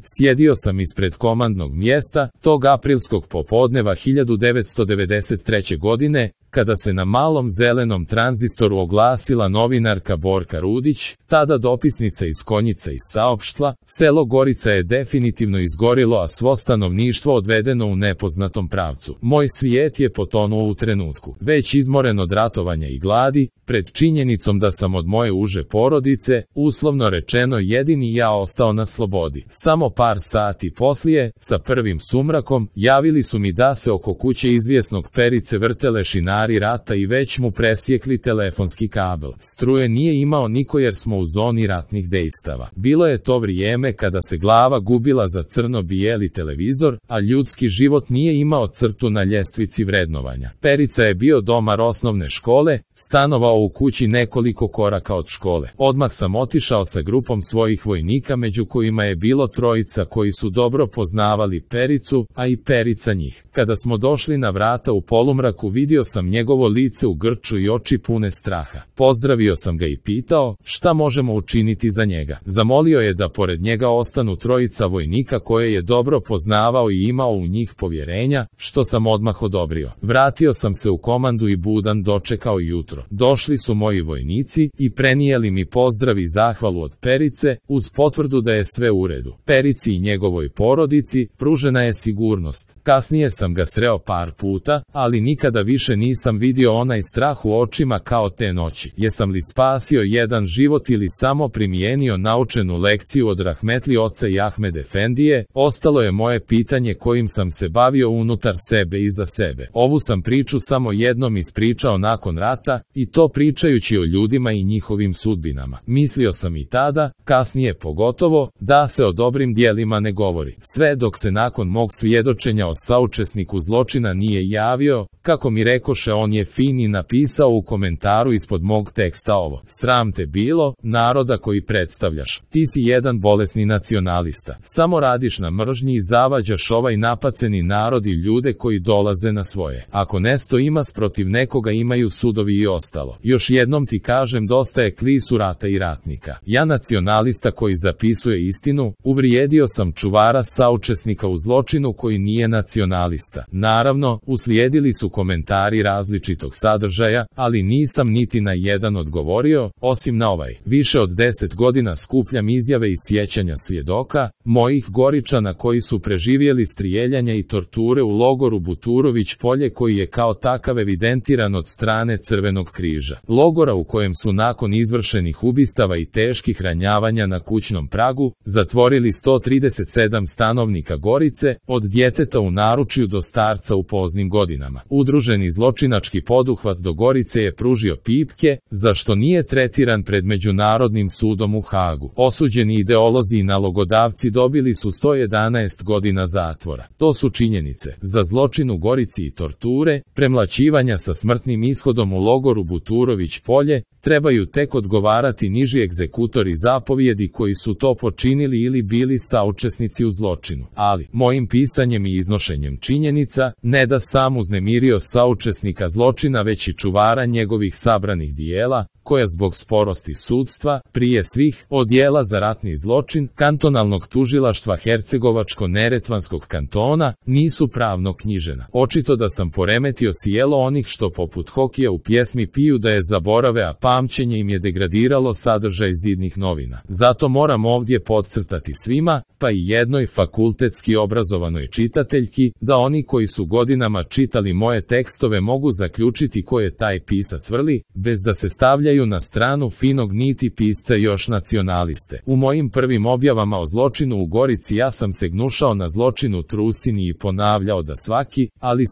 Sjedio sam ispred komandnog mjesta tog aprilskog popodneva 1993. godine, kada se na malom zelenom tranzistoru oglasila novinarka Borka Rudić, tada dopisnica iz Konjica, i saopštila: selo Gorica je definitivno izgorilo, a svo stanovništvo odvedeno u nepoznatom pravcu. Moj svijet je potonuo u trenutku. Već izmoren od ratovanja i gladi, pred činjenicom da sam od moje uže porodice, uslovno rečeno jedini ja, ostao na slobodi. Samo par sati poslije, sa prvim sumrakom, javili su mi da se oko kuće izvjesnog Perice vrte lešinari rata i već mu presjekli telefonski kabel. Struje nije imao niko jer smo u zoni ratnih dejstava. Bilo je to vrijeme kada se glava gubila za crno-bijeli televizor, a ljudski život nije imao crtu na ljestvici vrednovanja. Perica je bio domar osnovne škole, stanovao u kući nekoliko koraka od škole. Odmah sam otišao sa grupom svojih vojnika, među kojima je bilo trojica koji su dobro poznavali Pericu, a i Perica njih. Kada smo došli na vrata u polumraku, vidio sam njegovo lice u grču i oči pune straha. Pozdravio sam ga i pitao šta možemo učiniti za njega. Zamolio je da pored njega ostanu trojica vojnika koje je dobro poznavao i imao u njih povjerenja, što sam odmah odobrio. Vratio sam se u komandu i budan dočekao jutro. Došli su moji vojnici i prenijeli mi pozdrav i zahvalu od Perice, uz potvrdu da je sve u redu. Perici i njegovoj porodici pružena je sigurnost. Kasnije sam ga sreo par puta, ali nikada više nisam vidio onaj strah u očima kao te noći. Jesam li spasio jedan život ili samo primijenio naučenu lekciju od rahmetli oca i Ahmed Efendije, ostalo je moje pitanje kojim sam se bavio unutar sebe i za sebe. Ovu sam priču samo jednom ispričao nakon rata, i to pričajući o ljudima i njihovim sudbinama. Mislio sam i tada, kasnije pogotovo, da se o dobrim dijelima ne govori. Sve dok se nakon mog svjedočenja o saučesniku zločina nije javio, kako mi rekoše, on je fin i napisao u komentaru ispod mog teksta ovo: sram te bilo, naroda koji predstavljaš. Ti si jedan bolesni nacionalista. Samo radiš na mržnji i zavađaš ovaj napaceni narod i ljude koji dolaze na svoje. Ako nesto ima protiv nekoga, imaju sudovi i ostalo. Još jednom ti kažem, dosta je klisu rata i ratnika. Ja, nacionalista koji zapisuje istinu, uvrijedio sam čuvara saučesnika u zločinu koji nije nacionalista. Naravno, uslijedili su komentari različitog sadržaja, ali nisam niti na jedan odgovorio, osim na ovaj. Više od 10 godina skupljam izjave i sjećanja svjedoka, mojih Goričana koji su preživjeli strijeljanja i torture u logoru Buturović Polje, koji je kao takav evidentiran od strane Crvenog križa. Logora u kojem su nakon izvršenih ubistava i teških ranjavanja na kućnom pragu zatvorili 137 stanovnika Gorice, od djeteta u naručju do starca u poznim godinama. Udruženi zločinački poduhvat do Gorice je pružio pipke, za što nije tretiran pred Međunarodnim sudom u Hagu. Osuđeni ideolozi i nalogodavci dobili su 111 godina zatvora. To su činjenice. Za zločin u Gorici i torture, premlaćivanja sa smrtnim ishodom u logoru Buturović Polje, trebaju tek odgovarati niži egzekutori zapovjedi koji su to počinili ili bili saučesnici u zločinu. Ali, mojim pisanjem i iznošenjem činjenica, ne da sam uznemirio saučesnika zločina, već i čuvara njegovih sabranih dijela, koja zbog sporosti sudstva, prije svih, odjela za ratni zločin, kantonalnog tužilaštva Hercegovačko-Neretvanskog kantona, nisu pravno knjižena. Očito da sam poremetio sjelo onih što poput Hokija u pjesmi piju da je zaborave, a pamćenje im je degradiralo sadržaj zidnih novina. Zato moram ovdje podcrtati svima, pa i jednoj fakultetski obrazovanoj čitateljki, da oni koji su godinama čitali moje tekstove mogu zaključiti ko je taj pisac vrli, bez da se stavljaju na stranu finog niti pisca još nacionaliste. U mojim prvim objavama o zločinu u Gorici ja sam se gnušao na zločinu Trusini i ponavljao da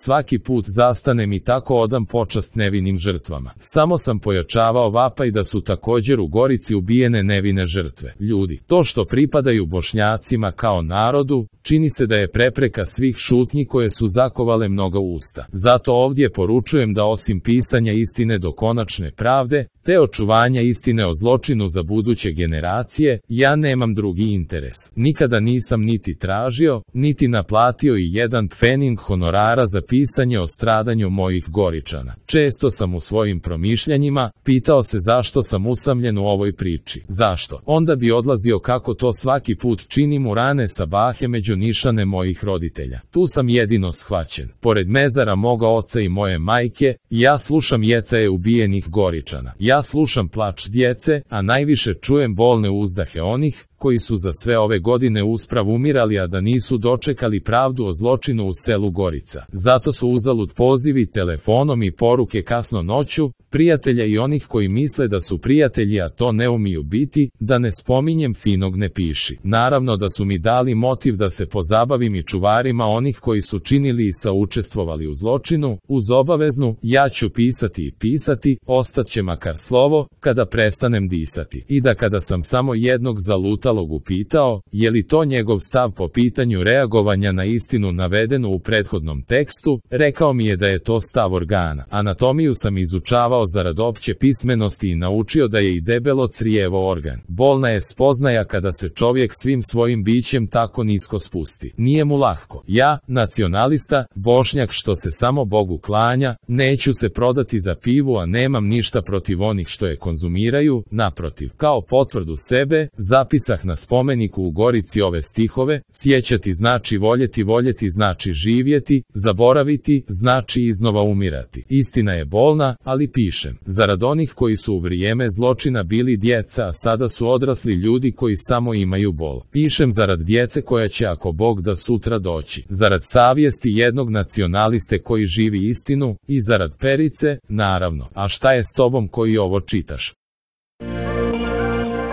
svaki put zastanem i tako odam počast nevinim žrtvama. Samo sam pojačavao vapaj da su također u Gorici ubijene nevine žrtve. Ljudi, to što pripadaju Bošnjacima kao narodu, čini se da je prepreka svih šutnji koje su zakovale mnoga usta. Zato ovdje poručujem da osim pisanja istine do konačne pravde, te očuvanja istine o zločinu za buduće generacije, ja nemam drugi interes. Nikada nisam niti tražio, niti naplatio i jedan pfening honorara za pisanje o stradanju mojih Goričana. Često sam u svojim promišljanjima pitao Pitao se zašto sam usamljen u ovoj priči. Zašto? Onda bi odlazio kako to svaki put činim u rane sabahe među nišane mojih roditelja. Tu sam jedino shvaćen. Pored mezara moga oca i moje majke, ja slušam jecaje ubijenih Goričana. Ja slušam plač djece, a najviše čujem bolne uzdahe onih koji su za sve ove godine usprav umirali, a da nisu dočekali pravdu o zločinu u selu Gorica. Zato su uzalud pozivi telefonom i poruke kasno noću, prijatelja i onih koji misle da su prijatelji, a to ne umiju biti, da ne spominjem finog ne piši. Naravno da su mi dali motiv da se pozabavim i čuvarima onih koji su činili i saučestvovali u zločinu, uz obaveznu, ja ću pisati i pisati, ostaće makar slovo, kada prestanem disati. I da kada sam samo jednog zalutalog upitao, je li to njegov stav po pitanju reagovanja na istinu navedenu u prethodnom tekstu, rekao mi je da je to stav organa. Anatomiju sam izučavao zarad opće pismenosti i naučio da je i debelo crijevo organ. Bolna je spoznaja kada se čovjek svim svojim bićem tako nisko spusti. Nije mu lahko. Ja, nacionalista, Bošnjak što se samo Bogu klanja, neću se prodati za pivu, a nemam ništa protiv onih što je konzumiraju, naprotiv. Kao potvrdu sebe, zapisah na spomeniku u Gorici ove stihove: sjećati znači voljeti, voljeti znači živjeti, zaboraviti znači iznova umirati. Istina je bolna, ali pišem zarad onih koji su u vrijeme zločina bili djeca, a sada su odrasli ljudi koji samo imaju bol. Pišem zarad djece koja će, ako Bog da, sutra doći. Zarad savjesti jednog nacionaliste koji živi istinu i zarad Perice, naravno. A šta je s tobom koji ovo čitaš?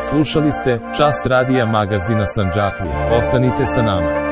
Slušali ste Čas radija magazina Sandžaklija. Ostanite sa nama.